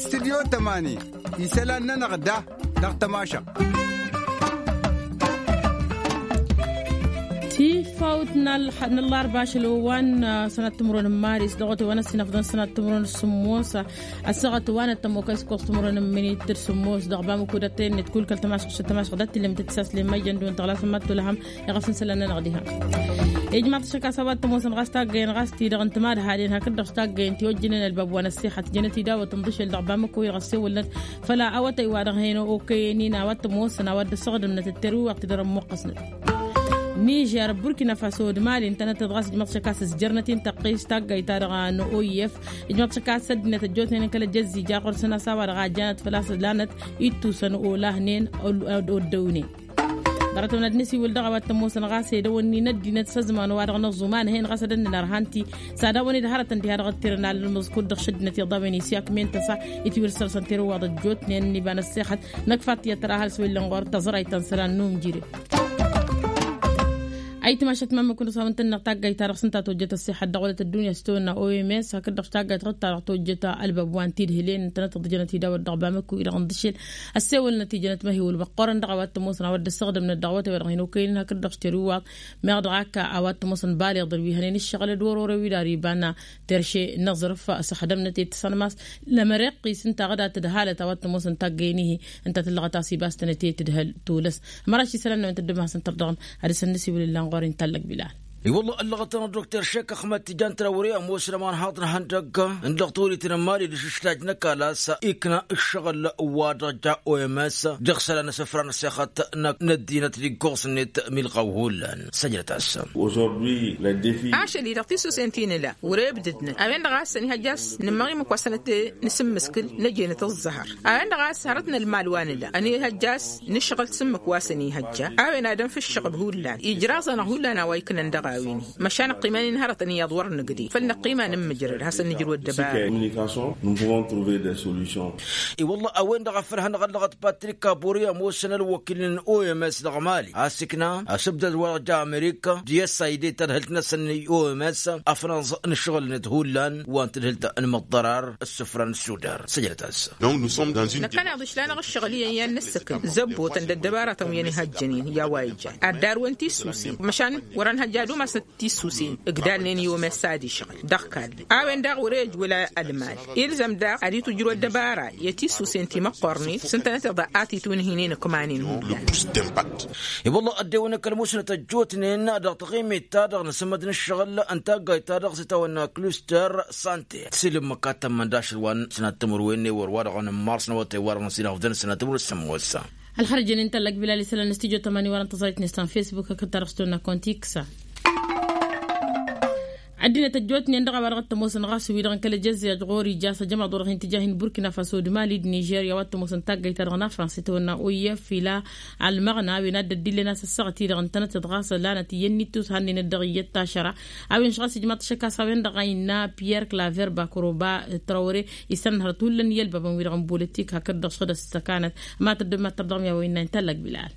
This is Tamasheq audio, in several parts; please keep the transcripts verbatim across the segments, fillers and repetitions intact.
Studyo tămani isălan-nănăɣ da dăɣ-tămašăɣt. Tifawt n-ăllarba ašăl wa n-sănat timǝrwen n-maris dăɣ-otăy wa n-ăssinăfḍăn sănat timǝrwen s-sǝmmos. Ăssaɣăt wa n-ăttămokăy s-kăwăs timǝrwen n-minit d-sǝmmos dăɣ-bamăko d-ăttăyăn n-ed kull kăl-tămašăɣt šăt tămašăɣt d-ad-t-illăm tăt-isaslen măjjăn d-wăn tăɣlasăn mad-tolhăm. Iɣăf n-sălan-nănăɣ diha ijmaḍ-t ašăk a-s a-wa t-ămoosăn ɣas taggăyăn ɣas-t-i-dăɣ n-timadhalăn hakd-dăɣ s-taggăyăn tiwăjjǝnen ălbab wa n-ăssixăt jănăt-i dawăt n-ḍǝšel dăɣ-bamăko-i-dăɣ ăssewălnăt. Făl a-wa tăywa dăɣ-hen okăyăn-in a-wa t-ămoosăn a-wa dd-ăssăɣdǝmnăt d-terwiwăɣt-i-dăɣ ămmuqqăsnăt. Nižer burkina faso d-mali ǝntănăt-dd ɣas ijmăḍ-t ašăk a-s ǝzjărnăt-in tăqqes taggayt-ta-dăɣ n-oyef. Ijmăḍ-t ašăk a-s ăddinăt ăjjootnen n-kăl-ăjăzzi ja ɣur-săn a-s a-wa-dăɣ a jănăt făl-a-s lanăt ittusăn olahnen. Oddăwnen ḍarăt-wen ad-nǝsiwǝl dăɣ-a-wa t-ămoosăn ɣas edăwănni n-ăddinăt s-ăzman wa-dăɣ n-ăẓuman hen ɣas ad-ănnăn ărhan-t-i s-ad-awăn-dd hărătăn diha dăɣ-ăttirăn alălmǝẓ kud-dăɣ šăddinăt iḍawen isyak men tăsa. Itwǝrsăr s-ănter ǝwwaḍ ăjjootnen n-iba n-ăssexăt năkk fattiyăt tăra hal s-wellăn ɣur-tăẓrayt ta n-isălan n-umjire. Ayǝtmašăt mamǝk-năsăn wa n-tănneɣ taggayt-ta-dăɣ s-ǝnta tojjăt ăṣṣixăt dăɣ-wălăt ăddunya s-tawănna oms hakd-dăɣ taggayt ɣǝtta-dăɣ tojjăt ălbăb wa n-tidhǝlen ǝntănăt-dd jănăt idawăt dăɣ-bamăkku-i-dăɣ n-dăšel. Ăssewălnăt ijănăt măhiwǝl măqqoorăn dăɣ-a-wa t-ămoosăn a-wa dd-ăssăɣdǝmnăt dăɣ-wătăy wa dăɣ-hin-okăyăn hakd-dăɣ s-terǝwwaḍ. Meɣ dăɣ-ak a-wa t-ămoosăn baleḍ d-wi hănen ǝššăɣǝl d-wăr-orew-wi d-ar iba n-terše n-aẓrǝf. Săxdămnăt i-tǝsănmas lămăreqqis ǝnta ɣǝdat d-halăt a-wa t-ămoosăn taggăyăn-ihi. Ǝnta tǝllăɣăt a-s ibas-tănăt i-tǝdhăl tulăs. Măraš isălan-năwăn tăddǝm hasăn-tărdăɣăm ad-dăr-săn nǝsiwǝl illa n-ɣur-i n-tallăg bilal. I-wălla ăllăɣăt-anăɣ dokter šek ăxmăd tijan tărawre ămoos răman haḍ n-ihăndăgg n-dăɣ-toliten n-mali d-ašǝšlaj n-ăkalas ikna ǝššăɣǝl wa dăɣ-ja oms dăɣ-isălan n-asǝfra n-asixăt n-ăddinăt d-iggoẓ-net milɣaw hullan. Săjdăt-as. Ašăl-i-dăɣ tisusen ti nǝla wăr-e ǝbdǝdnăt a-wen-dăɣ a-s ănihăjja a-s nǝmmăɣ imǝk wa sănăt-e-nǝsǝmmǝskǝl năjenăt ăẓẓăhăr. A-wen-dăɣ a-s hărăt n-ălmal wa nǝla ănihăjja a-s nǝšɣǝl s-ǝmmǝk wa s-ănihăjja a-wen ad-ănf ǝššăɣǝb hullan ijraẓ-anăɣ hullan a-wa iknăn dăɣ-a-wen-hi. Măšan ăqqiman-in hărătăn iyyăḍ wăr nǝgded făll-năqqiman n-imǝjrăd hasăn-nǝjrǝw ăddăbara. I-wălla a-wen-dăɣ a făl hanăɣ-ăllăɣăt patrik kaburi ămoosăn ălwăkil n-oms dăɣ-mali a-s ikna asǝbdăd wa dăɣ-ja amerika d-i-ăssayde tadhǝlt-năsăn i-oms afnăẓ n-ǝššăɣǝl-net hullan wa n-tadhǝlt n-imǝḍḍărar. Ǝssǝfra n-ăssudar săjdăt-as. Năkkăneḍ išla-năɣ ǝššăɣǝl iyyăn i-ad-nǝssǝkǝl zăbbotăn d-ăddăbaratăn wi ănihăjjănen i-a-wa ijan ad-darwen tissusen măšan wăr-ănhăjja ad-umasnăt tissusen ǝgdalnen i-omes ad-išɣǝl dăɣ-kall. A-wen daɣ wăr-e ăjwăl ălmal ilzăm daɣ ad-itwǝjrǝw ăddăbara i-tissusen ti măqqornen s-ǝntănăteḍ a titwǝnhǝynen ǝkmanen hullan. I-wălla ăddewăn kăl-musnăt ăjjootnen dăɣ-taɣimit-ta-dăɣ n-asǝmmăd n-ǝššăɣǝl n-taggayt-ta-dăɣ s-itawănna kluster sante s-ilǝmmǝk ad-tămmăn d-ašăl wa n-sănat timǝrwen n-ewăr wa dăɣ-nǝmmars n-awătay wa dăɣ-năsinăɣ d-sănat timǝrwen s-sămmos. Ălxărjăn-in tăllăg bilal isălan n-studyo tămani wăren tăẓrăyt-net ta n-facebook hakd ta dăɣ-s tonna konti kǝsa. Ăddinăt ăjjootnen dăɣ-a-wa dăɣ-t ămoosăn ɣas wi-dăɣ n-kăl-ejăzzej ɣur-ija s-ajămaḍ-wa-dăɣ hin-tǝjah n-burkina faso d-mali d-nižerya wa t-ămoosăn taggayt-ta-dăɣ n-afrans itawănna oyef ila almăɣna a-wen ad-dd-illen a-s ăssaɣăt-i-dăɣ ǝntănăt-dd ɣas lanăt iyyăn n-ittus hannăyăn-dd dăɣ-iyyăt tašăra. A-wen šɣas ijmaḍ-t ašăk a-s a-wen-dăɣ a innă pierre claver bakroba trawre isănhărăt hullan i-ălbabăn-wi-dăɣ n-bolitik hakd-dăɣ šăɣ d-ăssăkanăt. Ma tăddom ma tărdăɣ mi-a-wa innă intăllăg bilal.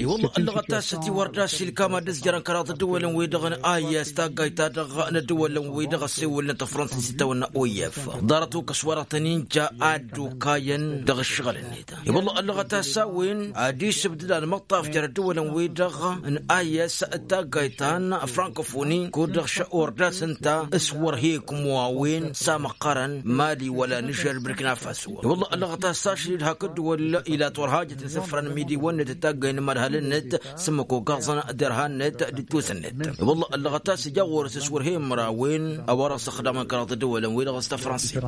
I-wălla ăllăɣăt a-s ătiwăr d-asilkam ad-dd-ǝzjărăn kăraḍ ăddăwălăn-wi-dăɣ n-ayas taggayt-ta-dăɣ n-ăddăwălăn-wi-dăɣ ăssewălnăt ăfrănsăn s-itawănna oyef ḍarăt okăs wa dăɣ-tăn-inja ad-dd-okayăn dăɣ-ǝššăɣǝl-net. I-wălla ăllăɣăt a-s a-wen ad-isǝbdǝd almăṭṭaf jer-ăddăwălăn-wi-dăɣ n-ayas taggayt ta n-frankofoni kud-dăɣ š-ordas ǝnta s-wăr he-ǝkmu a-wen s-amăqqărăn mali wăla nǝžer burkina faso. I-wălla ăllăɣăt a-s ašăl-i-dd hakd dd-wăl ilat wăr hajăt n-isǝfra n-imidiwăn-net d-taggay n-imadhal-net s-ǝmmǝk ogaẓăn derhan-net d-ittus-net. I-wălla ăllăɣăt a-s ija ɣur-s s-wăr he-imărawen a-wa dăɣ-s ăxdamăn kăraḍ ăddăwălăn-wi-dăɣ s-tafrănsit.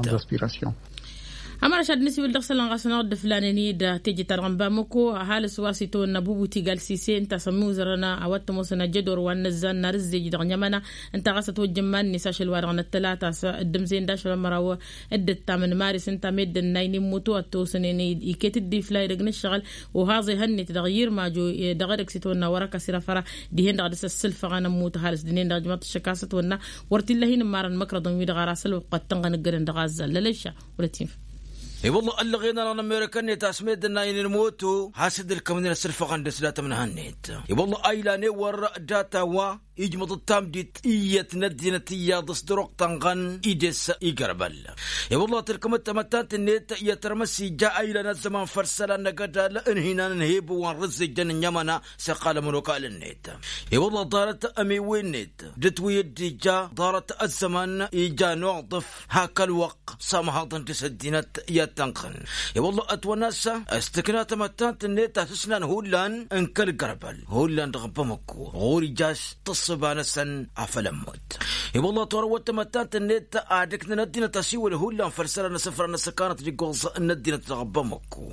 Ămăraš ad-nǝsiwǝl dăɣ-isălan ɣas ănɣăr dd-ǝflanen-dd teje-ta-dăɣ n-bamăko ăhalǝs wa s-itawănna bubuti galsisen ǝnta a-s ămmiwzărăn a-wa t-ămoosăn ajădor wa n-inăzzan n-arǝzzej dăɣ-ănămăna. Ǝnta ɣas ătwăjjăn iman-net ašăl wa dăɣ-năttălat a-s dd-ǝmzăyăn d-ašăl ămăraw. Dd-ǝttam n-maris ǝnta meddǝn n-ayǝn immutu ad-t-osănen iket-dd ifla edăgg n-ǝššăɣǝl. Uhaẓ ehăn-net dăɣ-yirmajo dăɣ-edăgg s-itwănna wăr-ăkasir afăra dihen-dăɣ dăr-s ăssǝlfăɣăn ămmut ăhalǝs dănen dăɣ-ijmaḍ-t ăššăk a-s ătwănna. Wăr t-illa hin-ǝmmarăn măkrăḍăn-wi-dăɣ ar asălwăqq ad-tǝnɣăn ǝggădăn dăɣ-azzal lălăyša. Wăr-ătinf. I-wălla ăllăɣen-anăɣ n-amerika-net a-s meddǝn-ayǝn n-moto has-dd-ǝlkămnen ăssǝlfăɣăn dăr-s datămnăhăn-net. I-wălla a ilan ewăr data wa ijmăḍ-dd tamdit iyyăt n-ăddinăt iyyăḍ s-dăr-wăqq tănɣăn ides igrăbăl. I-wălla tǝlkăm-dd tamăttant-net i-ad-tărmăs ija a ilan ăzzăman făll-isălan n-agădal n-hinan n-hibǝw wa n-rǝzzǝjjăn n-ămăna s-iqqal ămănokal-net. I-wălla ḍarăt ămiwen-net dăt-wi dd-ija ḍarăt ăzzăman ija n-uḍǝf hak ălwăqq s-amhăḍăn dăr-s ăddinăt i-ad-tănɣăn. I-wălla ătwănna s-tǝkna tamăttant-net a tǝsnan hullan n-kăl-gărbăl hullan dăɣ-bamăkko ɣur-ija a-s tǝssǝba-năsăn afăl ămmut. I-wălla torăwăt tamăttant-net ad-ǝknăn ăddinăt asiwǝl hullan făll-isălan n-asǝfra n-asăkanăt d-iggoẓ n-ăddinăt dăɣ-bamăkko.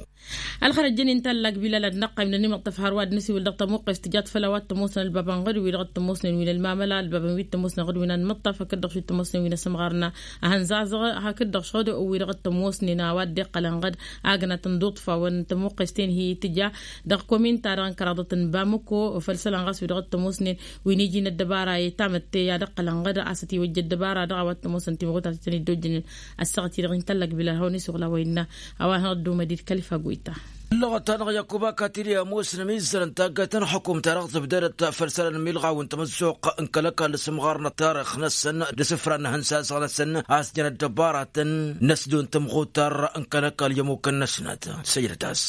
Ălxărăt jăn-in tallak bilal ad-năqqayǝm n-ănimăṭṭăf hărwa d-nǝsiwǝl dăɣ-tămuqqes tǝjat făll-a-wa t-ămoosnăn ălbabăn ɣǝd-wi-dăɣ t-ămoosnen wi n-ălmamăla ălbabăn wi t-ămoosnen ɣǝd-wi n-anmăṭṭaf hakd-dăɣ wi t-ămoosnen wi n-asǝmɣar n-ahănzazăɣ hakd-dăɣ šăɣ-dd wi-dăɣ t-ămoosnen a-wa dd-iqqălăn ɣǝd. Agnat n-iḍuṭṭfawăn tămuqqes-ten hi-tǝja dăɣ-kominta-dăɣ n-kăraḍăt n-bamăko făll-isălan ɣas wi-dăɣ t-ămoosnen wi n-iji n-ăddăbara i-tamătte i-ad-ǝqqălăn ɣǝd a-s ătiwăjja ăddăbara-dăɣ a-wa t-ămoosăn timɣutat-tăn-dd ojjănen. Ăssaɣăt-i-dăɣ inta ăllăg bilal hawăn-isuɣǝl a-wa innă a-wa hanăɣ-dd-umăd-dd kălifa goyta. Ǝllăɣăt-anăɣ yakuba katili ămoosnăm izzărăn taggayt n-ălxukum ta dăɣ-tǝbdădăt făll-isălan n-imilɣaw n-tamăzzuɣt n-kăl-ăkall s-imɣar n-ăttarix-năsăn d-isǝfra n-ihǝnsaẓăɣ-năsăn a-s jăn ăddăbaratăn n-ăsdon tamɣutar n-kăl-ăkall i-ămmukăn-năsnăt. Săjdăt-as.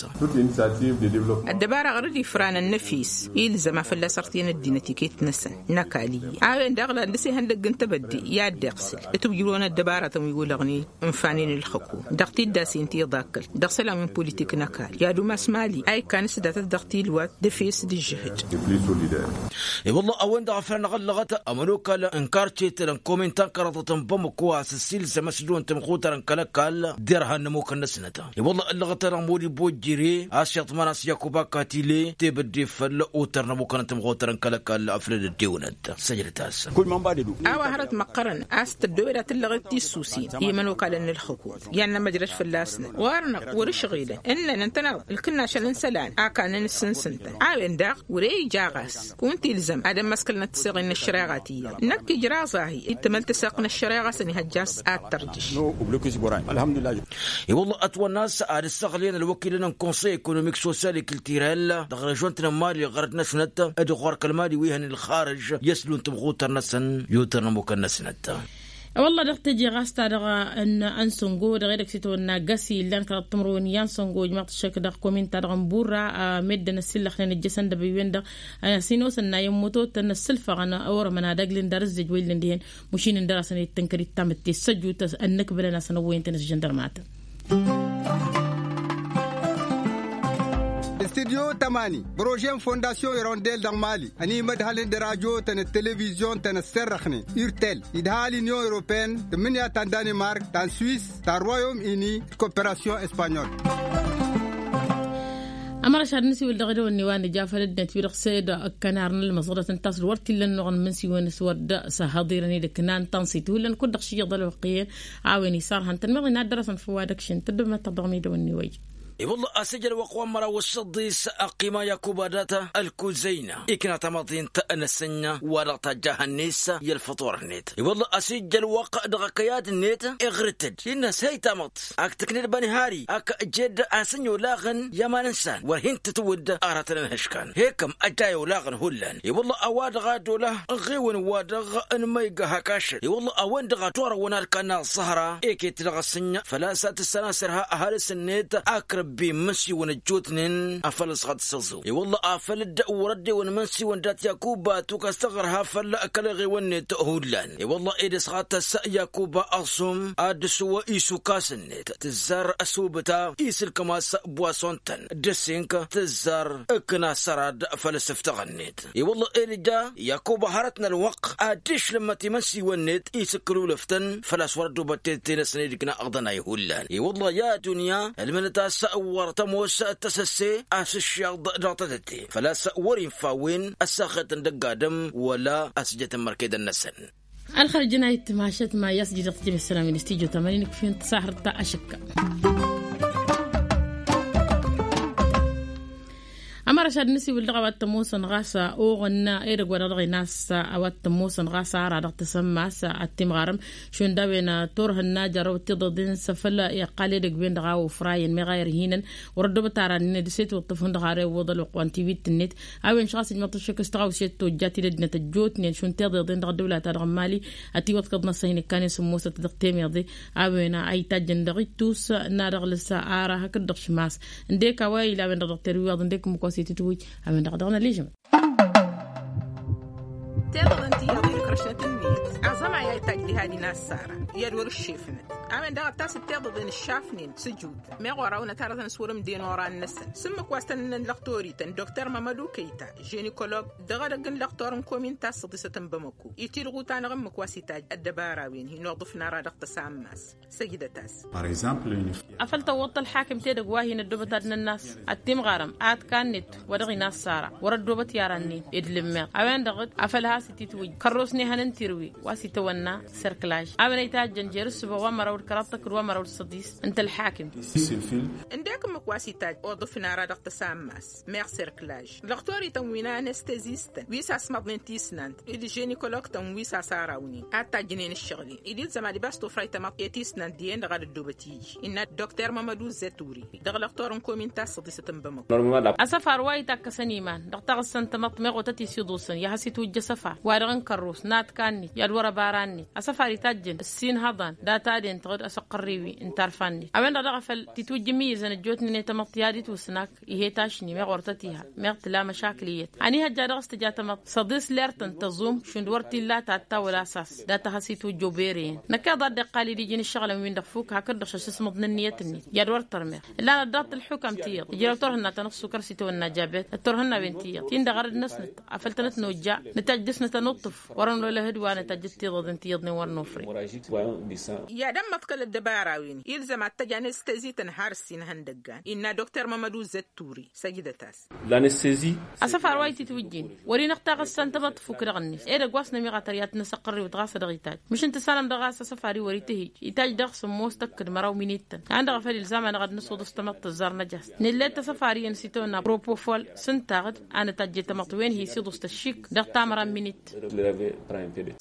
Ăddăbara ɣur-dd ifranăn n-efis ilzăm a fălla-s ărtǝyăn ăddinăt iket-năsăn n-ăkall iyyăn a-wen daɣ lan dăr-s ihăndăgg n-tebădde i-ad-dd-iɣsǝl d-tǝwjǝlwăn ăddăbaratăn wi wălăɣnen ǝnfanen ǝlxǝkum dăɣ-tiddasen ti ḍakkăl dăɣ-isălan wi n-politik n-ăkall i-ad-umas mali a ikkan s-datăt dăɣ-tilwat d-efes d-ǝžžǝhǝd. I-wălla a-wen-dăɣ a făl anăɣ-ăllăɣăt ămănokal n-karce tălăn komin ta n-kăraḍăt n-bamăko a-s ăssiilzăm ăsdon tamɣutar n-kăl-ăkall derhan n-ămmukăn-năsnăt. I-wălla ăllăɣăt-anăɣ modi bojjire a-s iḍman a-s yakuba katile tebădde făll-otăr n-ămmukăn n-tamɣutar n-kăl-ăkall afăl dd-ăddewnăt. Săjdăt-as. A-wa hărăt măqqărăn a-s tăddoyăd ad-tǝllăɣet tissusen i-imănokalăn n-ǝlxǝkum i-ad-nămăjrăd fălla-snăt wăr-năɣ wăr-ǝšɣilăn ǝnnăn ǝntăneḍ ǝlkǝnnasăn n-isălan a kannăn ǝssǝnsǝntăn a-wen daɣ wăr-e ija ɣas kunta ilzăm ad-ămmăskălnăt tiseɣen n-ăššăreɣa ti-dăɣ năkk ijraẓ-ahi d-tamăltăseɣt n-ăššăreɣa s-ănihăjja a-s ad-tărjǝš. I-wălla ătwănna a-s ad-ǝssăɣlăyăn ălwăkilăn n-konsăy ekonomik sosyal i-kǝltirel dăɣ-režont n-mali ɣărăt-năsnăt d-ɣur-kăl-mali wi hăn ilxarǝž i-ăslun tamɣutăr-năsăn i-otăr n-ămmukăn-năsnăt. Wălla dăɣ-teje ɣas ta-dăɣ n-ansăngo dăɣ-edăgg s-itwănna găsi illan kăraḍ timǝrwen i-ansăngo ijmaḍ-t ăššăk dăɣ-kominta-dăɣ n-burra. Meddǝn ăssillăxnen ǝjjăsăn dăbăywen-dăɣ a-s inosăn n-ayǝmmutotăn ăssǝlfăɣăn orămăn ad-ăglǝn d-arǝzzej wa illăn dihen. Mušin ǝndăr-asăn i-tǝnkăr-dd tamǝtte s-ăjjut ănnǝkbǝlăn-asăn ăwwăyăn-tăn s-žăndărmatăn. Studyo tămani prože n-fondasyon irondel dăɣ-mali ănimădhălăn d-radyo-tăn d-televizyon-tăn ăssărrăxnen urtel idha l-inyon europeen tǝmmǝnǝya ta n-danimark ta n-swis ta n-royom ini d-koperasyon espanyol. Ămărăš ad-nǝsiwǝl dăɣ-edăwănne wa nǝja făll-ăddinăt wi-dăɣ s-ed ǝkkănar n-ălmăẓrăt ǝnta a-s wăr t-illa ănnuɣăn imǝnsiwăn s-wăr dd-săhhăḍirăn i-dd-ǝknan tănsit hullan kud-dăɣ šiyăḍ ălwăqq iyyăn a-wen isarhăn tănmăḍ inadăr-asăn făw wa dăɣ-šin tăddobnăt-tăɣ dăɣ-medăwănne wa ija. I-wălla a-s ija ălwăqq wa n-măraw s-săḍis ăqqima yakuba data ălkuzăyna ikna tamăḍint n-asǝnna wa dăɣ-tajja hănnis i-ălfăṭor-net. I-wălla a-s ija ălwăqq dăɣ-akăyad-net iɣrǝt-dd innă s-hăy tamăḍt ak tǝkned bănihari ak jed asǝnna olaɣăn i-aman n-san wăr hin-tǝtwǝdd aratăn n-ihǝškan hekăm ăjjay olaɣăn hullan. I-wălla a-wa-dăɣ a dd-ola ăɣiwăn-wa-dăɣ n-ma iga hak ašăl i-wălla a-wen-dăɣ a torăwăn alkanna ăẓẓăhra eket dăɣ-asǝnna făl-a-s a tǝssanasăr ha ăhalǝs-net ak răbbi imǝnsiwăn ăjjootnen afăl ăsɣăt s-ăẓu. I-wălla afăl dd-wăr-ăddewăn imǝnsiwăn dat-yakuba tukas tăɣrǝha făll-kăl-eɣewăn-net hullan. I-wălla ed ăsɣăt-as yakuba ăẓum ad-dd-sǝwwă isukasăn-net tǝzzar ăsubǝta isǝlkăm-as bwason-tăn d-asǝnk tǝzzar ǝkna sărad făll-asǝftăɣ-net. I-wălla ed ija yakuba hărăt n-ălwăqq ad-dd-išlǝmmăt imǝnsiwăn-net isǝkkǝlulăf-tăn făl-a-s wăr ăddubăt tedăte-năsăn i-dd-ǝkna aɣdănay hullan. I-wălla i-adunya ǝlmǝnăt a-s wăr tămoos tăsăsse a-s ǝššeḍ dăɣ-tedăte făl-a-s wăr-infa a-wen ăssaxetăn dăgg-adǝm wăla ăsjătăn mărkedăn-năsăn. Ălxărjăn a itmašăt ma i-a-s jidăɣ tijăme ăssălam-in studyo tămănin kǝfin tăsahărt ta ašǝkka. Ămăra šad n-asiwǝl dăɣ-a-wa t-ămoosăn ɣas oɣănna edăgg wa dăɣ-dăɣ-inassa a-wa t-ămoosăn ɣas ara dăɣ-tăsămmas. Ad-timɣarăm šund a-wen turhǝnna jarrăwăt tiḍeḍen s-afăl iqqal edăgg-wen-dăɣ a ofrayăn meɣ a irhinăn. Wăr-ăddoobăt ara-nin d-set iwǝṭṭǝf hundăɣ har iwwăḍ ălwăqq wa n-tiwit-net. A-wen šăɣ a-s ijmăḍ-t ăššăk s-tăɣawse d-tojjat i-dăddinăt ăjjootnen šund tiḍeḍen dăɣ-ăddăwla-ta-dăɣ n-mali. Ătiwăḍkăḍ n-asăyni ǝkkanen s-ămoosăt dăɣ-temeḍe a-wen a ittajjăn dăɣ-ittus n-ad-ăɣlǝs ara hakd-dăɣ šmas. Ǝndek a-wa ila a-wen-dăɣ dăɣ-terwiwaḍ ǝndek ǝmmǝk wa s-itǝtwǝj a-wen-dăɣ dăɣ-năl ijmăḍ. Tiḍeḍen ti iyyăḍ ikrăšnăt-net aẓămay a itajj diha ad-inassara i-ad-wăr-ǝššefnăt. A-wen-dăɣ ăttasăt tiḍeḍen ǝššafnen s-ǝjut meɣ wăr-awnăt arătăn s-wăr-ǝmden oran-năsăn s-ǝmmǝk wa s-tăn-ǝnnăn lăxtorităn dokter mămădu kăyta ženikolog dăɣ-edăgg n-lăxtor n-komin tassăḍisăt n-bamăko itilɣut-anăɣ ǝmmǝk wa s-itajj ăddăbara-wen hin-oḍǝfna ara dăɣ-tăsammas. Săjdăt-as. Afăl tăwwăḍ-t ălḥakim tedăgg wa hin-ăddoobăt ad-nănnas ad-timɣarăm ad-kannet wa dăɣ-inassara wăr-ăddoobăt i-ara-nin idlǝmmeḍ a-wen-dăɣ d-afăl has-ititwǝjj kărros n-ehăn n-tirwi wa s-itawănna serklaj a-wen a itajjăn jer-ǝssǝba wa măraw d-kăraḍ tăkk d-wa măraw d-săḍis ǝnta ălḥakim. Ǝndek ǝmmǝk wa s-itajj oḍǝf n-ara dăɣ-tăsammas meɣ serklaj lăxtorităn wi n-anestezistăn wi s-asmăḍnen tisnant d-ženikologtăn wi s-asarawnen ad-tajjnen ǝššăɣǝl-in ed ilzăm ad-ibas tufrayt tamăḍt i-tisnant dihen-dăɣ ad-ăddoobăt iji innă dokter mămădu zături dăɣ-lăxtor n-komin tassăḍisăt n-bamăko. Asăfar wa itakkăsăn iman dăɣ-taɣǝssa n-tamăḍt meɣ otăt isiḍusăn i-ad-has-itwǝjj asăfar wa dăɣ-n kărrus n-ad-kannit i-ad-wăr-ăbara-net asăfar itajjăn ǝssin hăḍan data-den-tăɣ d-asăqqărriwi n-tarfa-net a-wen-dăɣ daɣ a făl titwǝjj imǝyyǝzăn ăjjootnen i-tamăḍt i-ad-itwǝsnăk. Ih'-e tašni meɣ wăr tăt-iha meɣ tǝla măšakǝl iyyăt ănihăjja dăɣ-s tǝja tamăḍt săḍis lertăn tăẓum šund wăr t-illa tatta wăla sas data has-itwǝjj obereyen. Năkk iḍa a dd-iqqal-dd iji n-ǝššăɣǝlăn-win-dăɣ fuk hakd-dăɣ šăššăsmăḍ n-ǝnniyăt-net i-ad-wăr tărmeɣ ǝllan ăddaɣ-t ălxukam tiyyăḍ ijrăw turhǝnna ta n-ăṣṣukăr s-itawănna jabet d-turhǝnna-wen tiyyăḍ ti n-dăɣ arăd-năsnăt afăl tănăt nojja nǝtajj dăɣ-snăt ănuṭṭǝf wăr-ănwălăhăd wa nǝtajj d-tiḍăḍen tiyyăḍnen wăr nofre. Iyyăḍ ămmăḍkăl ăddăbara-win ilzăm ad-tăj anestezi-tăn har ǝssin ihăndăggan innă dokter mămădu zătturi săjdăt-as. Asăfar wa ititwǝjjin wăr-inăɣ taɣǝssa n-tamăḍt tfuk dăɣ-net edăgg wa s-nămiɣ atăr i-ad-t-năsăqqărriwăt ɣas a dăɣ-itajj măšin tǝssanăm dăɣ-a-s asăfar-i wăr-itǝhǝj itajj dăɣ-sǝmmos tăkk d-măraw minittăn a ănn dăɣ-afăl ilzam-anăɣ ad-năsuḍǝs tamăḍt tǝzzar năjas nǝllet asăfar-i ănn s-itawănna propofol s-ǝntaɣ-dd a nǝtajje tamăḍt wen hi-siḍǝs tăššik dăɣ-tamăra n-minittăn.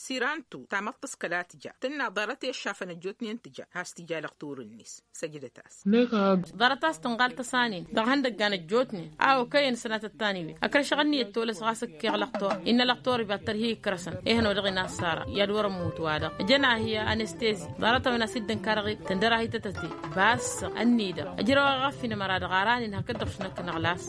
Sirantu tamăḍt s-kăla tǝja tǝnna ḍarăt i-ăššafăn ăjjootnen tǝja has-tǝja lăxtur-net. Săjdăt-as. Ḍarăt a-s tǝnɣal tăsanen dăɣ-ihăndăggan ăjjootnen a okăyăn sănatăt taniwen ăkrăšăɣ ǝnniyăt tolăs ɣas ǝkkeɣ lăxtor innă lăxtor iba tărhi ikrăsăn. Ehăn wa-dăɣ inassara i-ad-wăr-ămmut wa-dăɣ ǝjăn-ahi anestezi ḍarăt-a-wen a-s dd-ǝnkarăɣ-i tǝndăr-ahi tătăte. Bassăɣ ănnidăɣ ăjrăwăɣ aɣăf inămăra dăɣ-ara-nin hakd-dăɣ šinăkkănăɣ las.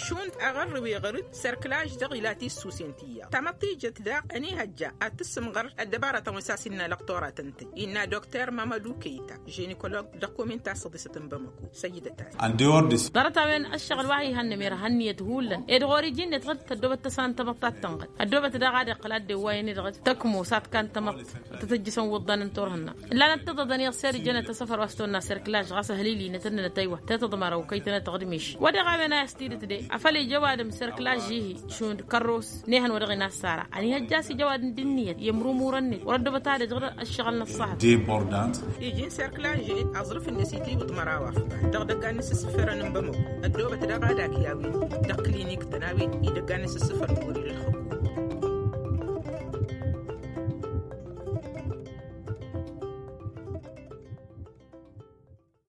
Šund aɣărrǝw iɣăr-dd sărkǝlaj dăɣ-ila tissusen tiyyăḍ tamăḍt tijăt daɣ ănihăjja ad-tǝssǝmɣăr ăddăbaratăn wi s-a-s innă lăqtoratăn-tăn innă dokter mămădu kăyta ženikolog dăɣ-komin tassăḍisăt n-bamăko. Săjdăt-as. Ḍarăt-a-wen ăššăɣǝl wa ihănnăm irha ǝnniyăt hullan ed ɣur-iji-net ɣǝd tăddoobăt tăsa n-tamăḍt ta t-tănɣăd ăddoobăt daɣ ad-iqqăl ad-dd-ewwayăn-i-dăɣ tăkmos ad-t-kan tamăḍt tăt-ǝjjǝsăn wǝḍḍan n-turhǝnna. Ǝllanăt tiḍăḍăn iɣser ijănăt asăfăr wa s-tawănna sărkǝlaj ɣas ăhlilinăt ǝnnănăt ăywa tetăḍmăra okăy-tănăt dăɣ-dimiš. Wa-dăɣ a-wen a i-ăstidǝt de afăl ija ăwadǝm sărkǝlaj-ihi šund kărros n-ehăn wa dăɣ-inassara ănihăjja a-s ija ăwadǝm d-ǝnniyăt i-ămrumurăn-net wăr-ăddobăt ad-ăj ɣur-ăššăɣǝl n-ăṣṣahăt. Iji n-sărkǝlaj-en aẓrǝf-net itiwǝḍ măraw afḍal dăɣ-idăggan n-isǝssǝfărăn n-bamăko. Ăddoobăt daɣ ad-ak i-a-wen dăɣ-kǝlinik-tăn a-wen idăggan n-isǝssǝfărăn wăr-ila ălxǝkum.